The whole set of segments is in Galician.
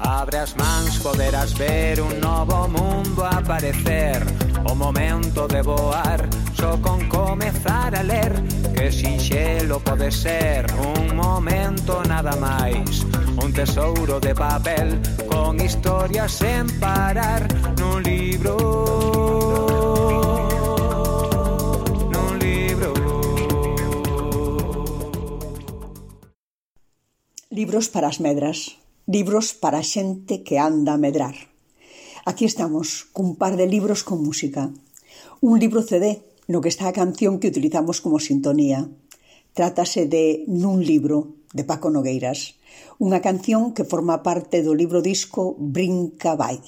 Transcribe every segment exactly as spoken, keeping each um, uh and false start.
Abre as mans, poderás ver un novo mundo aparecer. O momento de voar, só con comezar a ler. Que sinxelo pode ser, un momento nada máis. Un tesouro de papel, con historias sen parar. Nun libro, nun libro. Libros para as medras, libros para a xente que anda a medrar. Aquí estamos, cun par de libros con música. Un libro C D, no que está a canción que utilizamos como sintonía. Trátase de Nun libro, de Paco Nogueiras, unha canción que forma parte do libro disco Brinca vai.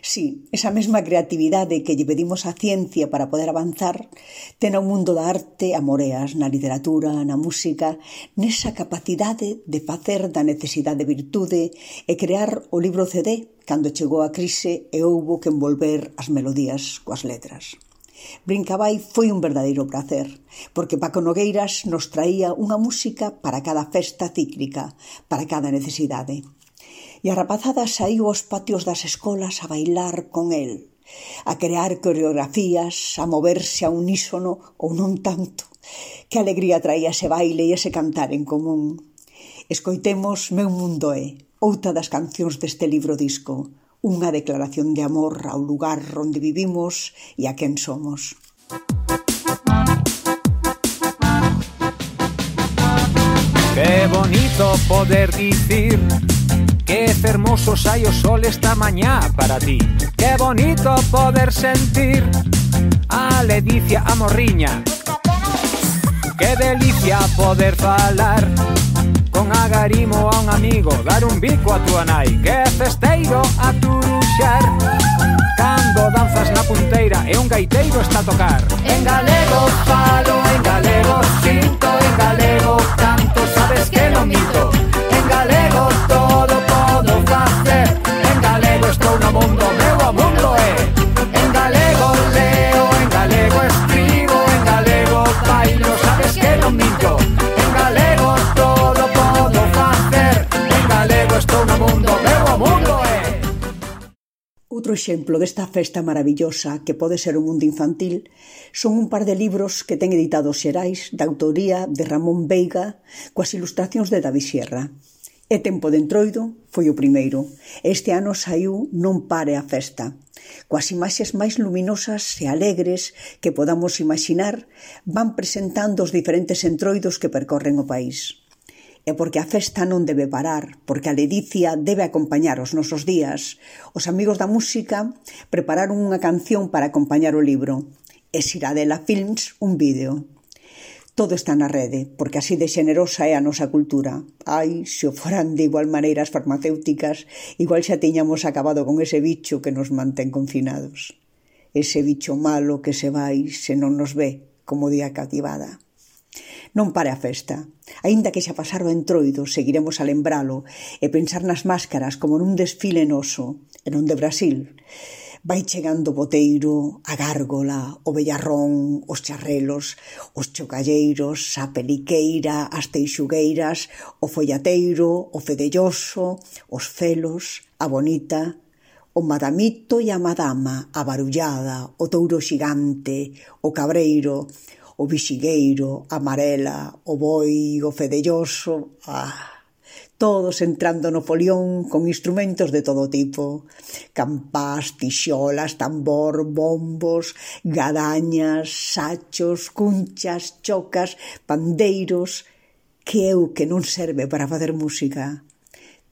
Sí, esa mesma creatividade que lle pedimos á ciencia para poder avanzar, ten ao mundo da arte a moreas na literatura, na música, nesa capacidade de facer da necesidade virtude e crear o libro C D cando chegou a crise e houbo que envolver as melodías coas letras. Brincavai foi un verdadeiro prazer, porque Paco Nogueiras nos traía unha música para cada festa cíclica, para cada necesidade. E a rapazada saíu aos patios das escolas a bailar con el, a crear coreografías, a moverse a unísono ou non tanto. Que alegría traía ese baile e ese cantar en común. Escoitemos Meu mundo é, outra das cancións deste libro disco, unha declaración de amor ao lugar onde vivimos e a quen somos. Que bonito poder dicir que fermoso sai o sol esta mañá para ti. Que bonito poder sentir a ledicia a morriña. Que delicia poder falar con agarimo a un amigo, dar un bico a tua nai. Que festeiro a turuxar cando danzas na punteira e un gaiteiro está a tocar. En galego falo, en galego sinto, en galego canto, sabes que non minto. En galego todo podo facer, en galego estou no mundo, meu o mundo é. En galego leo, en galego escribo, en galego bailo, sabes que non minto. En galego todo podo facer, en galego estou no mundo, meu o mundo é. Outro exemplo desta festa maravillosa que pode ser o mundo infantil son un par de libros que ten editados Xerais da autoría de Ramón Veiga coas ilustracións de David Sierra. E Tempo de Entroido foi o primeiro. Este ano saiu Non pare a festa. Coas imaxes máis luminosas e alegres que podamos imaginar, van presentando os diferentes entroidos que percorren o país. E porque a festa non debe parar, porque a ledicia debe acompañar os nosos días, os amigos da música prepararon unha canción para acompañar o libro, e Siradela Films un vídeo. Todo está na rede, porque así de xenerosa é a nosa cultura. Ai, se o foran de igual maneira as farmacéuticas, igual xa tiñamos acabado con ese bicho que nos mantén confinados. Ese bicho malo que se vai se non nos ve, como di a cativada. Non pare a festa. Aínda que xa pasar o entroido, seguiremos a lembralo e pensar nas máscaras como nun desfile noso, e non de Brasil. Vai chegando o boteiro, a gárgola, o bellarrón, os charrelos, os chocalleiros, a peliqueira, as teixugueiras, o follateiro, o fedelloso, os felos, a bonita, o madamito e a madama, a barullada, o touro xigante, o cabreiro, o bixigueiro, a amarela, o boi, o fedelloso, ah... todos entrando no folión con instrumentos de todo tipo. Campás, tixolas, tambor, bombos, gadañas, sachos, cunchas, chocas, pandeiros, que é o que non serve para facer música.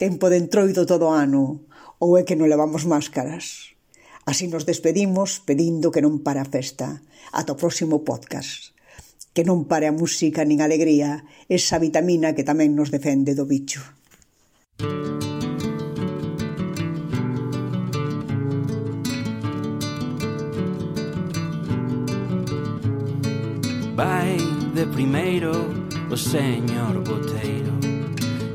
Tempo de entroido todo ano, ou é que non levamos máscaras. Así nos despedimos pedindo que non pare a festa. Ata o próximo podcast. Que non pare a música nin a alegría, esa vitamina que tamén nos defende do bicho. Vai de primeiro o señor boteiro,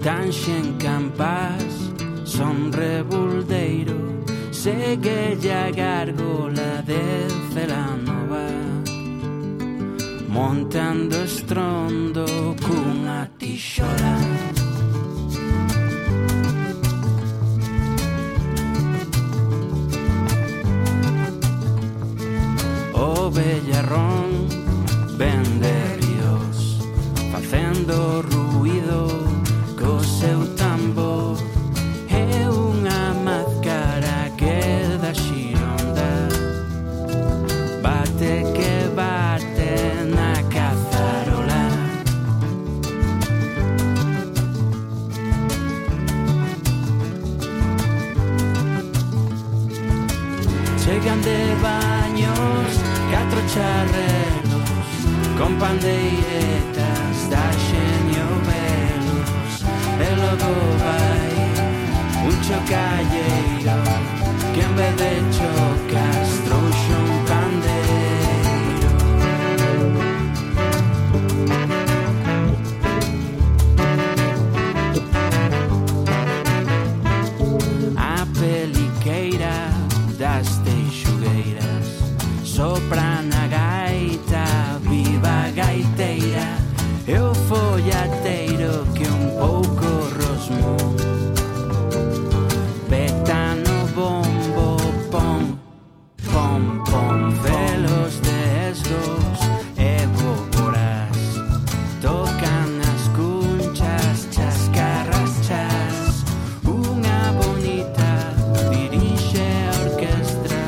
canxen campás, son rebuldeiro, segue a gárgola de Celanova, montando estrondo cunha tixola. ron vende ríos facendo ruído co seu tambor. É unha máscara que da xironda bate que bate na cazarola. Chegan de baños catro charrelos con pandeiretas da xeño velos, e logo vai un chocalleiro que en vez de chocas trouxo un pandeiro. A peliqueira das teixugueiras sopra na gaita, viva gaiteira, e o follateiro que un pouco rosmou peta no bombo, pom, pom, pom, velos de esgos e boboras tocan as cunchas, chascarras, chas, unha bonita dirixe a orquestra,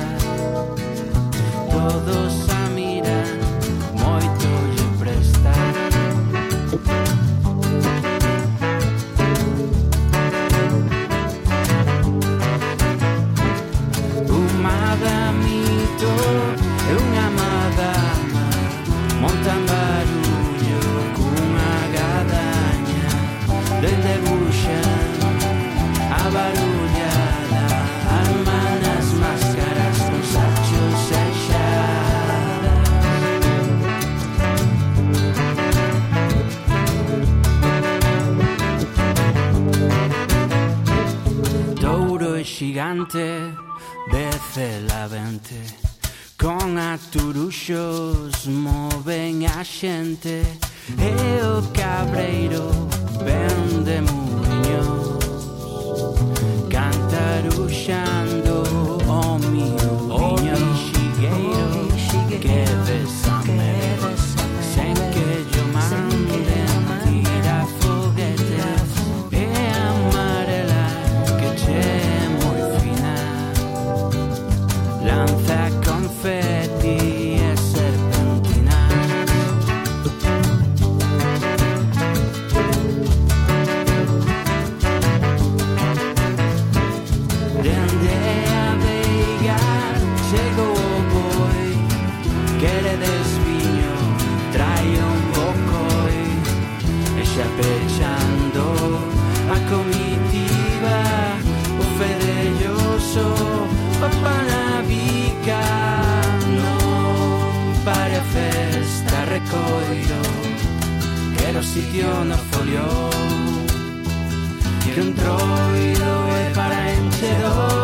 todos a miran, moito lle presta. Un madamito e unha madama montan barullo cunha gadaña, dende buxan a barullada, arman as máscaras con sachos e xadas. Douro e xigante dece la vente, con aturuxos moven a xente, e o cabreiro vende muiños cantaruxando o miudiño xigueiro que besame sen que yo manden tira foguetes, e amarela que che moi fina lanza confeti e serpentina. Dende a Veiga chegou o boi, quere desviño, trai un bocoi, e xa pechando a comitiva, o fedelloso o panavica, non pare a festa recoiro, quero sitio no folio, que un troido é para enchedor.